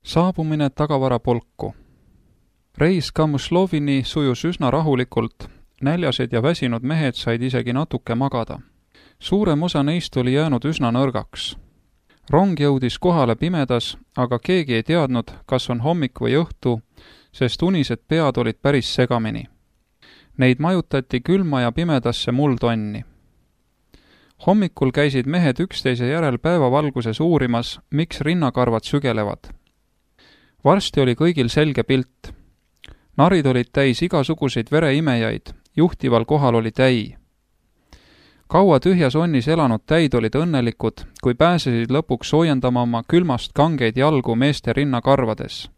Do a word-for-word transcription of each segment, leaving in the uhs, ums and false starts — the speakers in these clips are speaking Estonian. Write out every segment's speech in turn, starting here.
Saabumine tagavarapolku. Reis Kamõslovini sujus üsna rahulikult, näljased ja väsinud mehed said isegi natuke magada. Suurem osa neist oli jäänud üsna nõrgaks. Rong jõudis kohale pimedas, aga keegi ei teadnud, kas on hommik või õhtu, sest unised pead olid päris segamini. Neid majutati külma ja pimedasse muldonni. Hommikul käisid mehed üksteise järel päevavalguses uurimas, miks rinnakarvad sügelevad. Varsti oli kõigil selge pilt. Narid olid täis igasuguseid vereimejaid, juhtival kohal oli täi. Kaua tühjas onnis elanud täid olid õnnelikud, kui pääsesid lõpuks soojendama oma külmast kangeid jalgu meeste rinnakarvades.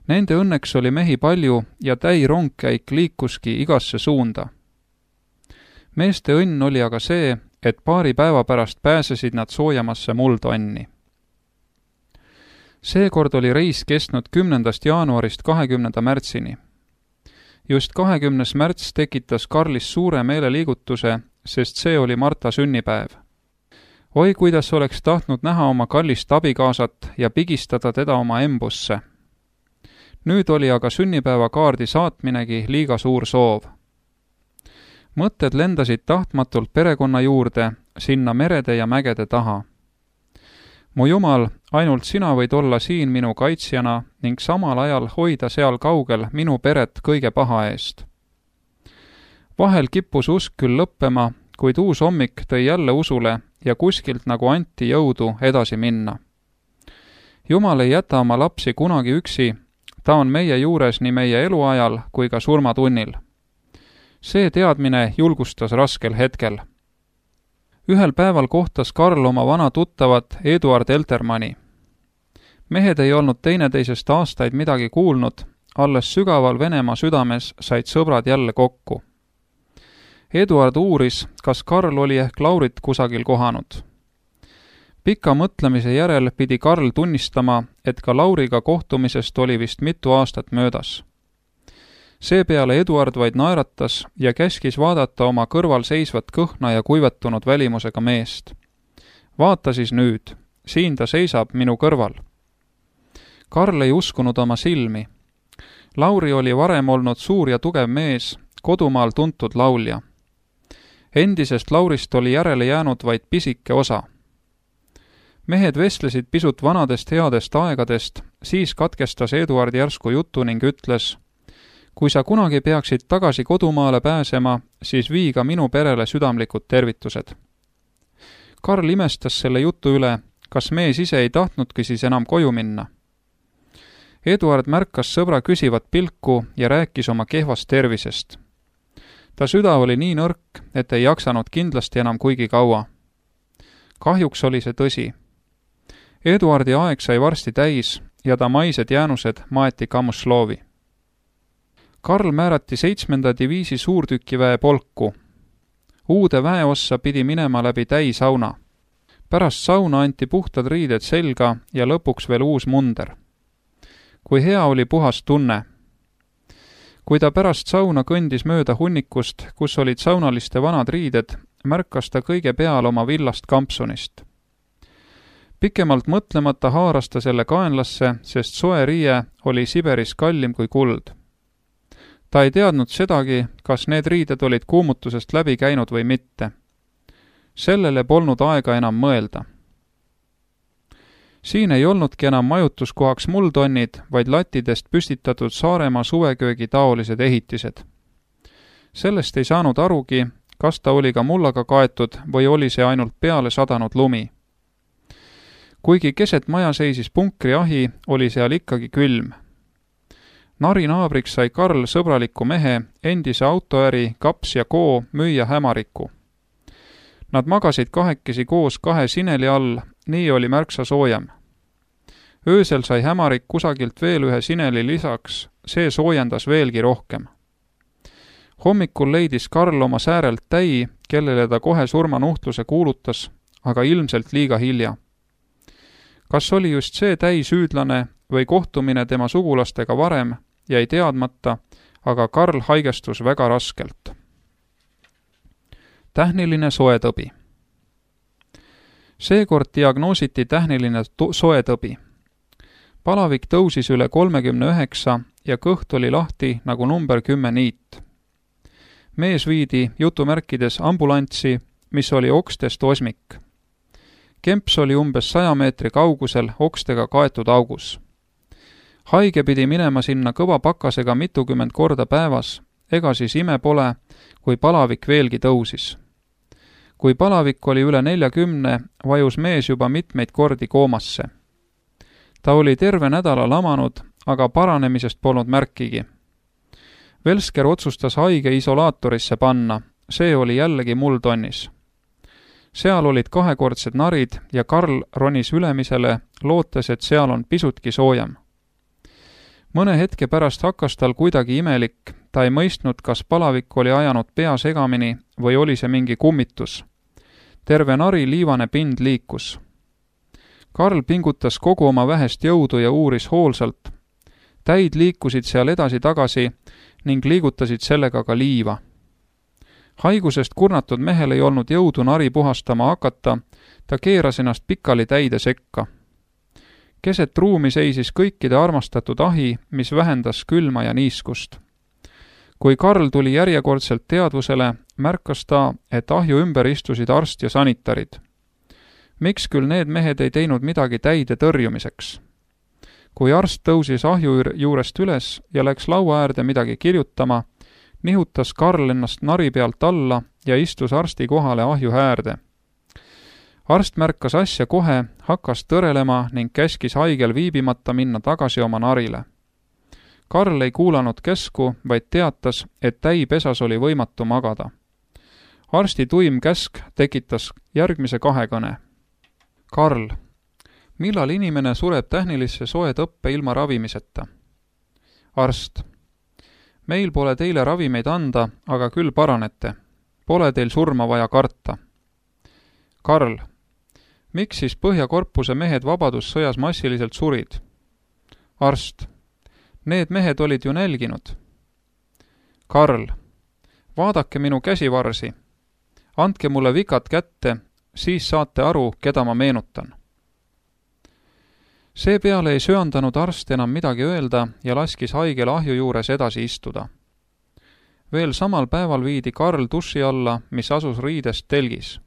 Nende õnneks oli mehi palju ja täi rongkäik liikuski igasse suunda. Meeste õnn oli aga see, et paari päeva pärast pääsesid nad soojamasse muldonni. Seekord oli reis kestnud kümnendast jaanuarist kahekümnenda märtsini. Just kahekümnes märts tekitas Karlis suure meeleliigutuse, sest see oli Marta sünnipäev. Oi, kuidas oleks tahtnud näha oma kallist abikaasat ja pigistada teda oma embusse. Nüüd oli aga sünnipäevakaardi saatminegi liiga suur soov. Mõtted lendasid tahtmatult perekonna juurde, sinna merede ja mägede taha. Mu Jumal, ainult sina võid olla siin minu kaitsjana ning samal ajal hoida seal kaugel minu peret kõige paha eest. Vahel kippus usk küll lõppema, kuid uus hommik tõi jälle usule ja kuskilt nagu anti jõudu edasi minna. Jumal ei jäta oma lapsi kunagi üksi, ta on meie juures nii meie eluajal kui ka surmatunnil. See teadmine julgustas raskel hetkel. Ühel päeval kohtas Karl oma vana tuttavat Eduard Eltermanni. Mehed ei olnud teineteisest aastaid midagi kuulnud, alles sügaval Venemaa südames said sõbrad jälle kokku. Eduard uuris, kas Karl oli ehk Laurit kusagil kohanud. Pika mõtlemise järel pidi Karl tunnistama, et ka Lauriga kohtumisest oli vist mitu aastat möödas. Seepeale Eduard vaid naeratas ja käskis vaadata oma kõrval seisvat kõhna ja kuivetunud välimusega meest. Vaata siis nüüd, siin ta seisab minu kõrval. Karl ei uskunud oma silmi. Lauri oli varem olnud suur ja tugev mees, kodumaal tuntud laulja. Endisest Laurist oli järele jäänud vaid pisike osa. Mehed vestlesid pisut vanadest headest aegadest, siis katkestas Eduard järsku jutu ning ütles: kui sa kunagi peaksid tagasi kodumaale pääsema, siis vii ka minu perele südamlikud tervitused. Karl imestas selle jutu üle, kas mees ise ei tahtnudki siis enam koju minna. Eduard märkas sõbra küsivat pilku ja rääkis oma kehvast tervisest. Ta süda oli nii nõrk, et ei jaksanud kindlasti enam kuigi kaua. Kahjuks oli see tõsi. Eduardi aeg sai varsti täis ja ta maised jäänused maeti Kamõslovi. Karl määrati seitsmenda diviisi suurtükiväe polku. Uude väeossa pidi minema läbi täisauna. Pärast sauna anti puhtad riided selga ja lõpuks veel uus munder. Kui hea oli puhas tunne. Kui ta pärast sauna kõndis mööda hunnikust, kus olid saunaliste vanad riided, märkas ta kõige peal oma villast kampsunist. Pikemalt mõtlemata haaras ta selle kaenlasse, sest soe riie oli Siberis kallim kui kuld. Ta ei teadnud sedagi, kas need riided olid kuumutusest läbi käinud või mitte. Sellele polnud aega enam mõelda. Siin ei olnudki enam majutuskohaks muldonnid, vaid latidest püstitatud Saaremaa suveköögi taolised ehitised. Sellest ei saanud arugi, kas ta oli ka mullaga kaetud või oli see ainult peale sadanud lumi. Kuigi keset maja seisis punkriahi, oli seal ikkagi külm. Nari naabriks sai Karl sõbraliku mehe, endise autoäri Kaps ja Koo müüja Hämariku. Nad magasid kahekesi koos kahe sineli all, nii oli märksa soojem. Öösel sai Hämarik kusagilt veel ühe sineli lisaks, see soojendas veelgi rohkem. Hommikul leidis Karl oma säärelt täi, kellele ta kohe surmanuhtluse kuulutas, aga ilmselt liiga hilja. Kas oli just see täi süüdlane või kohtumine tema sugulastega varem, jäi teadmata, aga Karl haigestus väga raskelt. Tähniline soetõbi. Seekord diagnoositi tähniline soetõbi. palavik tõusis üle kolmekümne üheksa ja kõht oli lahti nagu number kümme niit. Mees viidi jutumärkides ambulanssi, mis oli okstest osmik. Kemps oli umbes saja meetri kaugusel okstega kaetud augus. Haige pidi minema sinna kõva pakasega mitukümmend korda päevas, ega siis ime pole, kui palavik veelgi tõusis. Kui palavik oli üle neljakümne, vajus mees juba mitmeid kordi koomasse. Ta oli terve nädala lamanud, aga paranemisest polnud märkigi. Velsker otsustas haige isolaatorisse panna, see oli jällegi muldonnis. Seal olid kahekordsed narid ja Karl ronis ülemisele, lootes, et seal on pisutki soojem. Mõne hetke pärast hakkas tal kuidagi imelik, ta ei mõistnud, kas palavik oli ajanud pea segamini või oli see mingi kummitus. Terve nari liivane pind liikus. Karl pingutas kogu oma vähest jõudu ja uuris hoolsalt. Täid liikusid seal edasi-tagasi ning liigutasid sellega ka liiva. Haigusest kurnatud mehel ei olnud jõudu nari puhastama hakata, ta keeras ennast pikali täide sekka. Keset ruumi seisis kõikide armastatud ahi, mis vähendas külma ja niiskust. Kui Karl tuli järjekordselt teadvusele, märkas ta, et ahju ümber istusid arst ja sanitarid. Miks küll need mehed ei teinud midagi täide tõrjumiseks? Kui arst tõusis ahju juurest üles ja läks laua äärde midagi kirjutama, nihutas Karl ennast nari pealt alla ja istus arsti kohale ahju äärde. Arst märkas asja kohe, hakkas tõrelema ning käskis haigel viibimata minna tagasi oma narile. Karl ei kuulanud käsku, vaid teatas, et täipesas oli võimatu magada. Arsti tuim käsk tekitas järgmise kahekõne. Karl, millal inimene sureb tähnilisse soe tõppe ilma ravimiseta? Arst, meil pole teile ravimeid anda, aga küll paranete. Pole teil surma vaja karta. Karl, miks siis Põhjakorpuse mehed vabadussõjas massiliselt surid? Arst, need mehed olid ju nälginud. Karl, vaadake minu käsivarsi. Andke mulle vikad kätte, siis saate aru, keda ma meenutan. Seepeale ei söandanud arst enam midagi öelda ja laskis haigel ahju juures edasi istuda. Veel samal päeval viidi Karl duši alla, mis asus riidest telgis.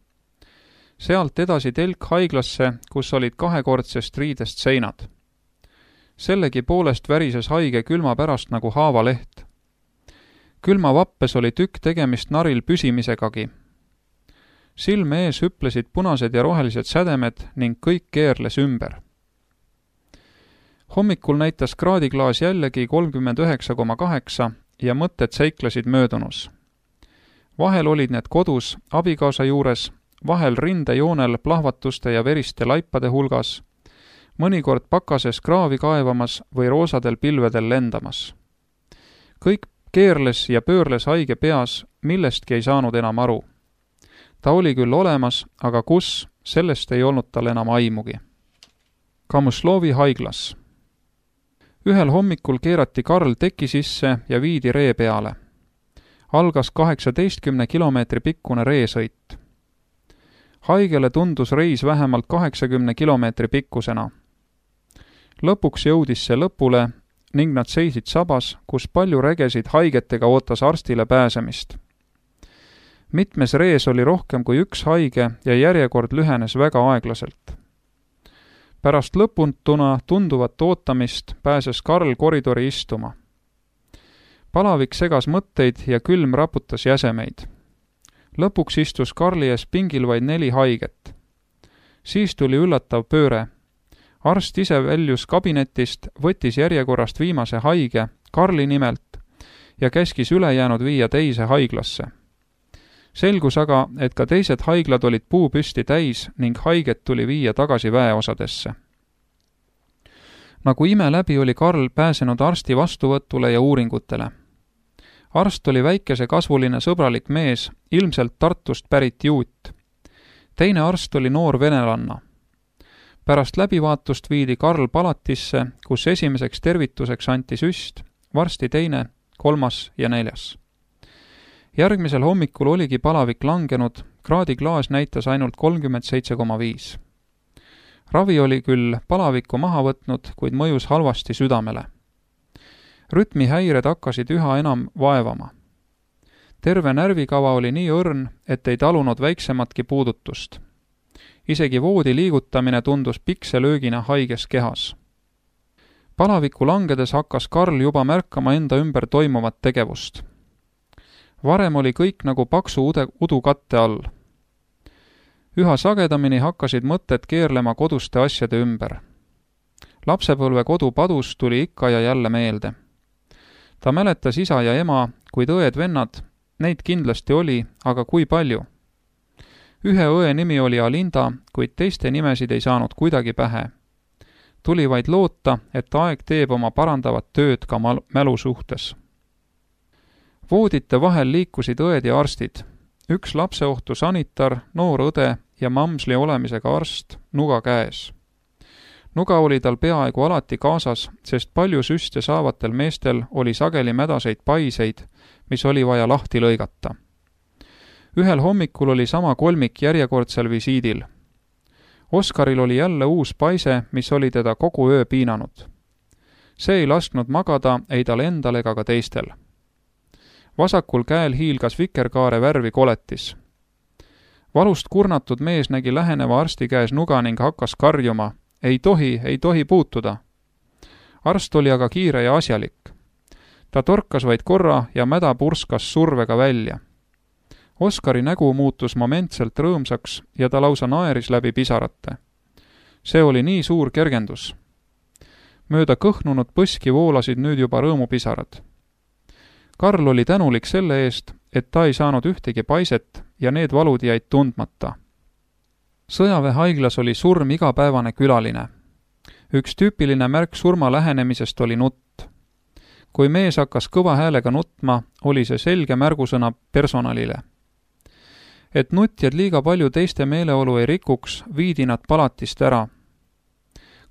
Sealt edasi telk haiglasse, kus olid kahekordsest riidest seinad. Sellegi poolest värises haige külma pärast nagu haavaleht. Külma vappes oli tükk tegemist naril püsimisegagi. Silme ees hüplesid punased ja rohelised sädemed ning kõik keerles ümber. Hommikul näitas kraadiklaas jällegi kolmkümmend üheksa koma kaheksa ja mõtted seiklesid möödunus. Vahel olid need kodus, abikaasa juures, vahel rindejoonel plahvatuste ja veriste laipade hulgas, mõnikord pakases kraavi kaevamas või roosadel pilvedel lendamas. Kõik keerles ja pöörles haige peas, millestki ei saanud enam aru. Ta oli küll olemas, aga kus, sellest ei olnud tal enam aimugi. Kamuslovi haiglas. Ühel hommikul keerati Karl teki sisse ja viidi ree peale. Algas kaheksateistkümne kilomeetri pikkune reesõit. Haigele tundus reis vähemalt kaheksakümne kilomeetri pikkusena. Lõpuks jõudis see lõpule ning nad seisid sabas, kus palju regesid haigetega ootas arstile pääsemist. Mitmes rees oli rohkem kui üks haige ja järjekord lühenes väga aeglaselt. Pärast lõpuntuna tunduvat ootamist pääses Karl koridori istuma. Palavik segas mõtteid ja külm raputas jäsemeid. Lõpuks istus Karli ees pingil vaid neli haiget. Siis tuli üllatav pööre. Arst ise väljus kabinetist, võttis järjekorrast viimase haige, Karli nimelt, ja käskis ülejäänud viia teise haiglasse. Selgus aga, et ka teised haiglad olid puupüsti täis ning haiget tuli viia tagasi väeosadesse. Nagu ime läbi oli Karl pääsenud arsti vastuvõtule ja uuringutele. Arst oli väikese kasvuline sõbralik mees, ilmselt Tartust pärit juut. Teine arst oli noor venelanna. Pärast läbivaatust viidi Karl palatisse, kus esimeseks tervituseks anti süst, varsti teine, kolmas ja neljas. Järgmisel hommikul oligi palavik langenud, kraadiklaas näitas ainult kolmkümmend seitse koma viis. ravi oli küll palavikku maha võtnud, kuid mõjus halvasti südamele. Rütmihäired hakkasid üha enam vaevama. Terve närvikava oli nii õrn, et ei talunud väiksematki puudutust. Isegi voodi liigutamine tundus pikselöögina haiges kehas. Palaviku langedes hakkas Karl juba märkama enda ümber toimuvat tegevust. Varem oli kõik nagu paksu ude, udu katte all. Üha sagedamini hakkasid mõtted keerlema koduste asjade ümber. Lapsepõlve kodu padus tuli ikka ja jälle meelde. Ta mäletas isa ja ema, kuid õed-vennad, neid kindlasti oli, aga kui palju? Ühe õe nimi oli Alinda, kuid teiste nimesid ei saanud kuidagi pähe. Tuli vaid loota, et aeg teeb oma parandavat tööd ka mal- mälu suhtes. Voodite vahel liikusid õed ja arstid. Üks lapseohtu sanitar, noor õde ja mamsli olemisega arst, nuga käes. Nuga oli tal peaaegu alati kaasas, sest palju süste saavatel meestel oli sageli mädaseid paiseid, mis oli vaja lahti lõigata. Ühel hommikul oli sama kolmik järjekordsel visiidil. Oskaril oli jälle uus paise, mis oli teda kogu öö piinanud. See ei lasknud magada ei tal endal ega ka teistel. Vasakul käel hiilgas vikerkaare värvi koletis. Valust kurnatud mees nägi läheneva arsti käes nuga ning hakkas karjuma. Ei tohi, ei tohi puutuda. Arst oli aga kiire ja asjalik. Ta torkas vaid korra ja mäda purskas survega välja. Oskari nägu muutus momentselt rõõmsaks ja ta lausa naeris läbi pisarate. See oli nii suur kergendus. Mööda kõhnunud põski voolasid nüüd juba rõõmupisarad. Karl oli tänulik selle eest, et ta ei saanud ühtegi paiset ja need valud jäid tundmata. Sõjaväehaiglas oli surm igapäevane külaline. Üks tüüpiline märk surma lähenemisest oli nutt. Kui mees hakkas kõva häälega nutma, oli see selge märgusõna personalile. Et nutjad liiga palju teiste meeleolu ei rikuks, viidi nad palatist ära.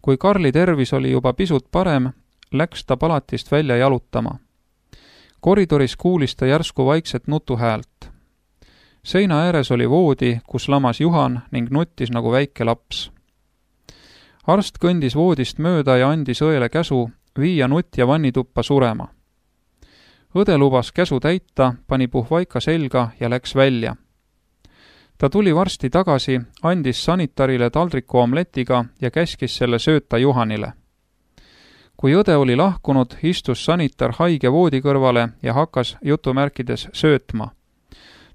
Kui Karli tervis oli juba pisut parem, läks ta palatist välja jalutama. Koridoris kuulis ta järsku vaikset nutuhäält. Seina ääres oli voodi, kus lamas Juhan ning nuttis nagu väike laps. Arst kõndis voodist mööda ja andis õele käsu viia nutja vannituppa surema. Õde lubas käsu täita, pani puhvaika selga ja läks välja. Ta tuli varsti tagasi, andis sanitarile taldriku omletiga ja käskis selle sööta Juhanile. Kui õde oli lahkunud, istus sanitar haige voodi kõrvale ja hakkas jutumärkides söötma.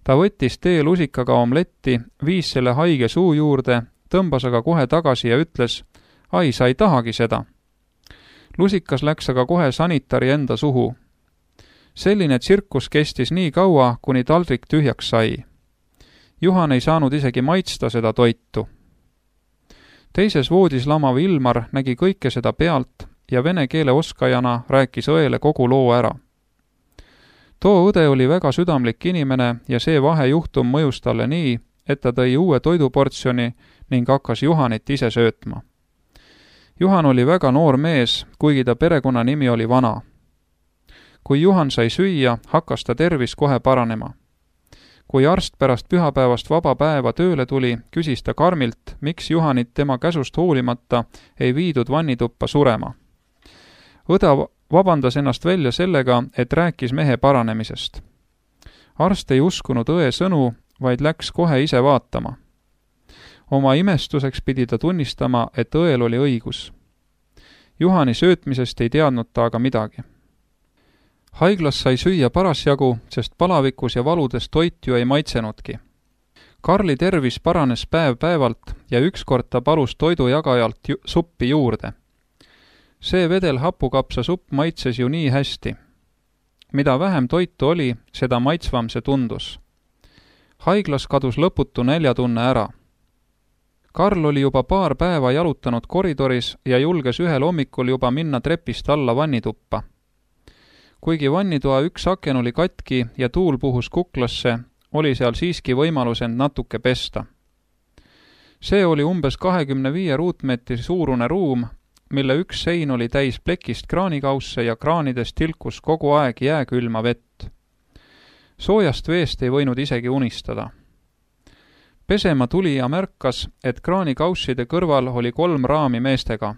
Ta võttis teelusikaga omletti, viis selle haige suu juurde, tõmbas aga kohe tagasi ja ütles, ai, sa ei tahagi seda. Lusikas läks aga kohe sanitari enda suhu. Selline tsirkus kestis nii kaua, kuni taldrik tühjaks sai. Juhan ei saanud isegi maitsta seda toitu. Teises voodis lamav Ilmar nägi kõike seda pealt ja vene keele oskajana rääkis õele kogu loo ära. Too õde oli väga südamlik inimene ja see vahejuhtum mõjus talle nii, et ta tõi uue toiduportsjoni ning hakkas Juhanit ise söötma. Juhan oli väga noor mees, kuigi ta perekonnanimi oli Vana. Kui Juhan sai süüa, hakkas ta tervis kohe paranema. Kui arst pärast pühapäevast vaba päeva tööle tuli, küsis ta karmilt, miks Juhanit tema käsust hoolimata ei viidud vannituppa surema. Õde vabandas ennast välja sellega, et rääkis mehe paranemisest. Arst ei uskunud õe sõnu, vaid läks kohe ise vaatama. Oma imestuseks pidi ta tunnistama, et õel oli õigus. Juhani söötmisest ei teadnud ta aga midagi. Haiglas sai süüa parasjagu, sest palavikus ja valudes toit ju ei maitsenudki. Karli tervis paranes päev päevalt ja ükskord ta palus toidujagajalt ju suppi juurde. See vedel hapukapsa supp maitses ju nii hästi. Mida vähem toitu oli, seda maitsvam see tundus. Haiglas kadus lõputu näljatunne ära. Karl oli juba paar päeva jalutanud koridoris ja julges ühel hommikul juba minna trepist alla vannituppa. Kuigi vannitoa üks aken oli katki ja tuul puhus kuklasse, oli seal siiski võimalus end natuke pesta. See oli umbes kahekümne viie ruutmeetri suurune ruum, mille üks sein oli täis plekist kraanikausse ja kraanidest tilkus kogu aeg jääkülma vett. Soojast veest ei võinud isegi unistada. pesema tuli ja märkas, et kraanikausside kõrval oli kolm raami meestega.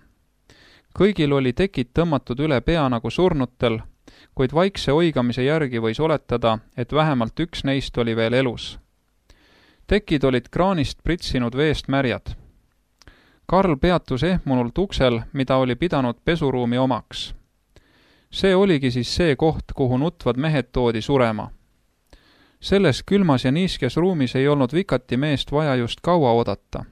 Kõigil oli tekid tõmmatud üle pea nagu surnutel, kuid vaikse oigamise järgi võis oletada, et vähemalt üks neist oli veel elus. Tekid olid kraanist pritsinud veest märjad. Karl peatus ehmunult uksel, mida oli pidanud pesuruumi omaks. See oligi siis see koht, kuhu nutvad mehed toodi surema. Selles külmas ja niiskes ruumis ei olnud vikati meest vaja just kaua oodata.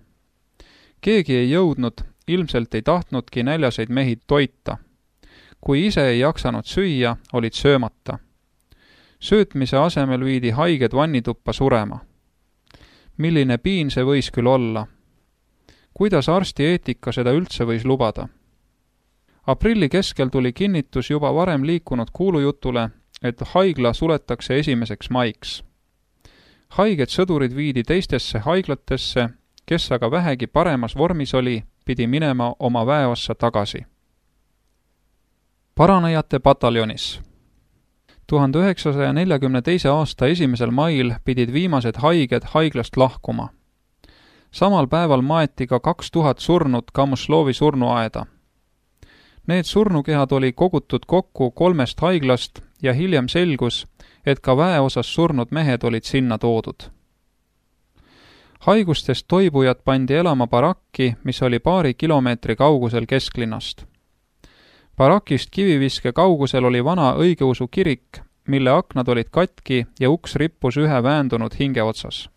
Keegi ei jõudnud, ilmselt ei tahtnudki näljaseid mehi toita. Kui ise ei jaksanud süüa, olid söömata. Söötmise asemel viidi haiged vannituppa surema. Milline piin see võis küll olla? Kuidas arsti eetika seda üldse võis lubada? Aprilli keskel tuli kinnitus juba varem liikunud kuulujutule, et haigla suletakse esimeseks maiks. Haiged sõdurid viidi teistesse haiglatesse, kes aga vähegi paremas vormis oli, pidi minema oma väeossa tagasi. Paranejate pataljonis. tuhande üheksasaja neljakümne teise aasta esimesel mail pidid viimased haiged haiglast lahkuma. Samal päeval maeti ka kaks tuhat surnut Kamuslovi surnuaeda. Need surnukehad oli kogutud kokku kolmest haiglast ja hiljem selgus, et ka väeosas surnud mehed olid sinna toodud. Haigustest toibujad pandi elama barakki, mis oli paari kilomeetri kaugusel kesklinnast. Barakist kiviviske kaugusel oli vana õigeusu kirik, mille aknad olid katki ja uks rippus ühe väändunud hinge otsas.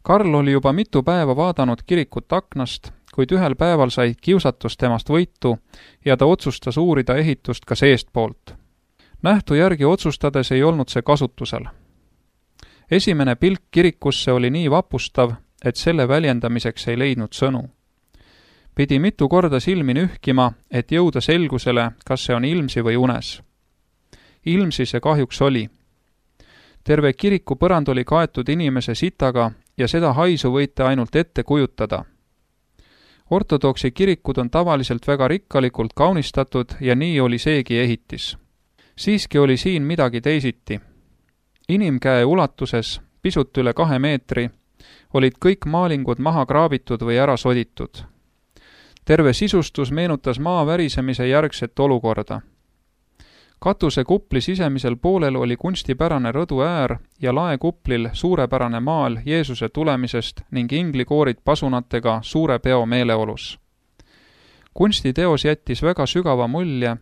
Karl oli juba mitu päeva vaadanud kirikut aknast, kuid ühel päeval sai kiusatus temast võitu ja ta otsustas uurida ehitust ka seestpoolt. Nähtu järgi otsustades ei olnud see kasutusel. Esimene pilk kirikusse oli nii vapustav, et selle väljendamiseks ei leidnud sõnu. Pidi mitu korda silmi nühkima, et jõuda selgusele, kas see on ilmsi või unes. Ilmsi see kahjuks oli. Terve kiriku põrand oli kaetud inimese sitaga ja seda haisu võite ainult ette kujutada. Ortodoksi kirikud on tavaliselt väga rikkalikult kaunistatud ja nii oli seegi ehitis. Siiski oli siin midagi teisiti. Inimkäe ulatuses, pisut üle kahe meetri, olid kõik maalingud maha kraabitud või ära soditud. Terve sisustus meenutas maa värisemise järgset olukorda. Katuse kupli sisemisel poolel oli kunstipärane rõdu äär ja laekuplil suurepärane maal Jeesuse tulemisest ning inglikoorid pasunatega suure peo meeleolus. Kunstiteos jättis väga sügava mulje,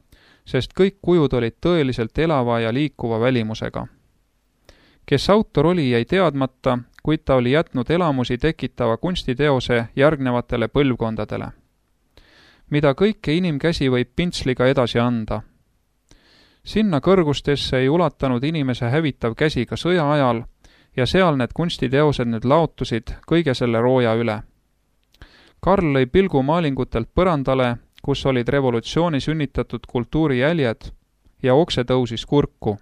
sest kõik kujud olid tõeliselt elava ja liikuva välimusega. Kes autor oli, jäi teadmata, kuid ta oli jätnud elamusi tekitava kunstiteose järgnevatele põlvkondadele. Mida kõike inimkäsi võib pintsliga edasi anda. Sinna kõrgustesse ei ulatanud inimese hävitav käsi ka sõja ajal ja seal need kunstiteosed nüüd laotusid kõige selle rooja üle. Karl lõi pilgu maalingutelt põrandale, kus olid revolutsiooni sünnitatud kultuuri jäljed ja okse tõusis kurku.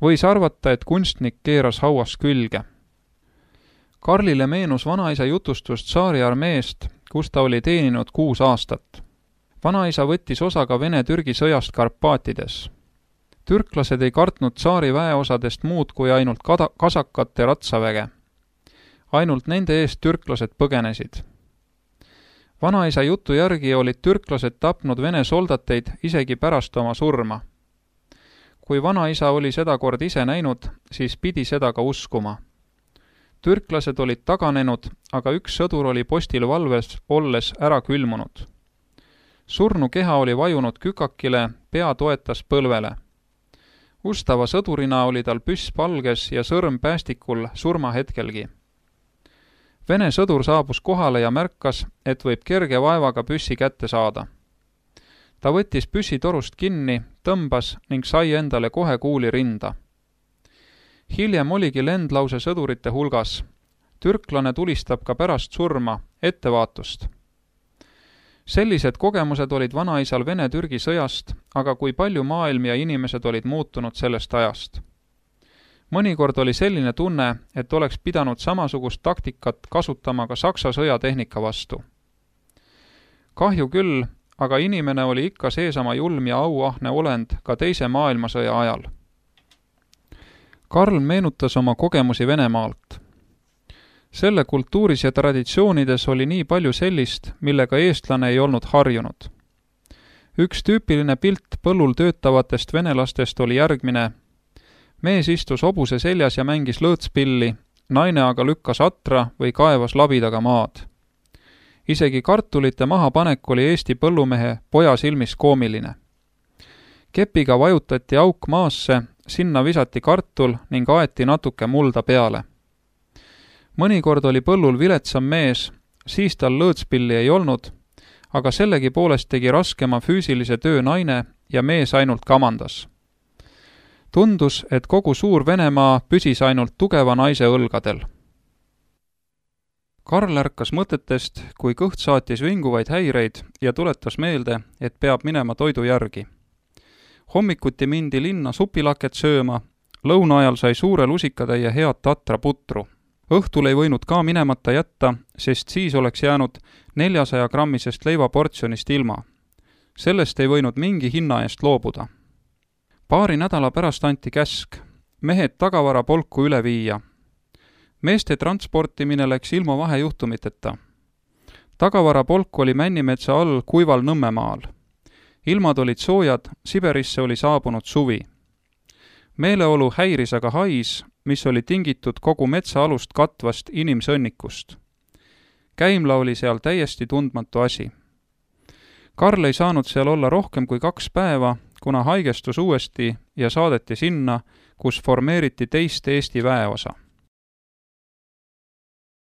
Võis arvata, et kunstnik keeras hauas külge. Karlile meenus vanaisa jutustust tsaari armeest, kus ta oli teeninud kuus aastat. Vanaisa võttis osa ka Vene-Türgi sõjast Karpaatides. Türklased ei kartnud tsaari väeosadest muud kui ainult kada- kasakate ratsaväge. Ainult nende eest türklased põgenesid. Vanaisa jutu järgi olid türklased tapnud Vene soldateid isegi pärast oma surma. Kui vanaisa oli seda kord ise näinud, siis pidi seda ka uskuma. Türklased olid taganenud, aga üks sõdur oli postil valves olles ära külmunud. Surnu keha oli vajunud kükakile, pea toetas põlvele. Ustava sõdurina oli tal püss palges ja sõrm päästikul surmahetkelgi. Vene sõdur saabus kohale ja märkas, et võib kerge vaevaga püssi kätte saada. Ta võttis püssi torust kinni, tõmbas ning sai endale kohe kuuli rinda. Hiljem oligi lendlause sõdurite hulgas. Türklane tulistab ka pärast surma, ettevaatust. Sellised kogemused olid vanaisal Vene-Türgi sõjast, aga kui palju maailm ja inimesed olid muutunud sellest ajast. Mõnikord oli selline tunne, et oleks pidanud samasugust taktikat kasutama ka Saksa sõjatehnika vastu. Kahju küll, aga inimene oli ikka seesama julm ja auahne olend ka teise maailmasõja ajal. Karl meenutas oma kogemusi Venemaalt. Selle kultuuris ja traditsioonides oli nii palju sellist, millega eestlane ei olnud harjunud. Üks tüüpiline pilt põllul töötavatest venelastest oli järgmine. Mees istus hobuse seljas ja mängis lõõtspilli, naine aga lükkas atra või kaevas labidaga maad. Isegi kartulite mahapanek oli Eesti põllumehe poja silmis koomiline. Kepiga vajutati auk maasse, sinna visati kartul ning aeti natuke mulda peale. Mõnikord oli põllul viletsam mees, siis tal lõõtspilli ei olnud, aga sellegi poolest tegi raskema füüsilise töö naine ja mees ainult kamandas. Tundus, et kogu suur Venemaa püsis ainult tugeva naise õlgadel. Karl ärkas mõtetest, kui kõht saatis vinguvaid häireid ja tuletas meelde, et peab minema toidu järgi. Hommikuti mindi linna supilaket sööma, lõuna ajal sai suure lusikatäie head tatra putru. Õhtul ei võinud ka minemata jätta, sest siis oleks jäänud neljasaja grammisest leivaportsjonist ilma. Sellest ei võinud mingi hinna eest loobuda. Paari nädala pärast anti käsk, mehed tagavarapolku üle viia. Meeste transportimine läks ilma vahejuhtumiteta. Tagavarapolk oli Männimetsa all kuival Nõmmemaal. Ilmad olid soojad, Siberisse oli saabunud suvi. Meeleolu häiris aga hais, mis oli tingitud kogu metsaalust katvast inimsõnnikust. Käimla oli seal täiesti tundmatu asi. Karl ei saanud seal olla rohkem kui kaks päeva, kuna haigestus uuesti ja saadeti sinna, kus formeeriti teist Eesti väeosa.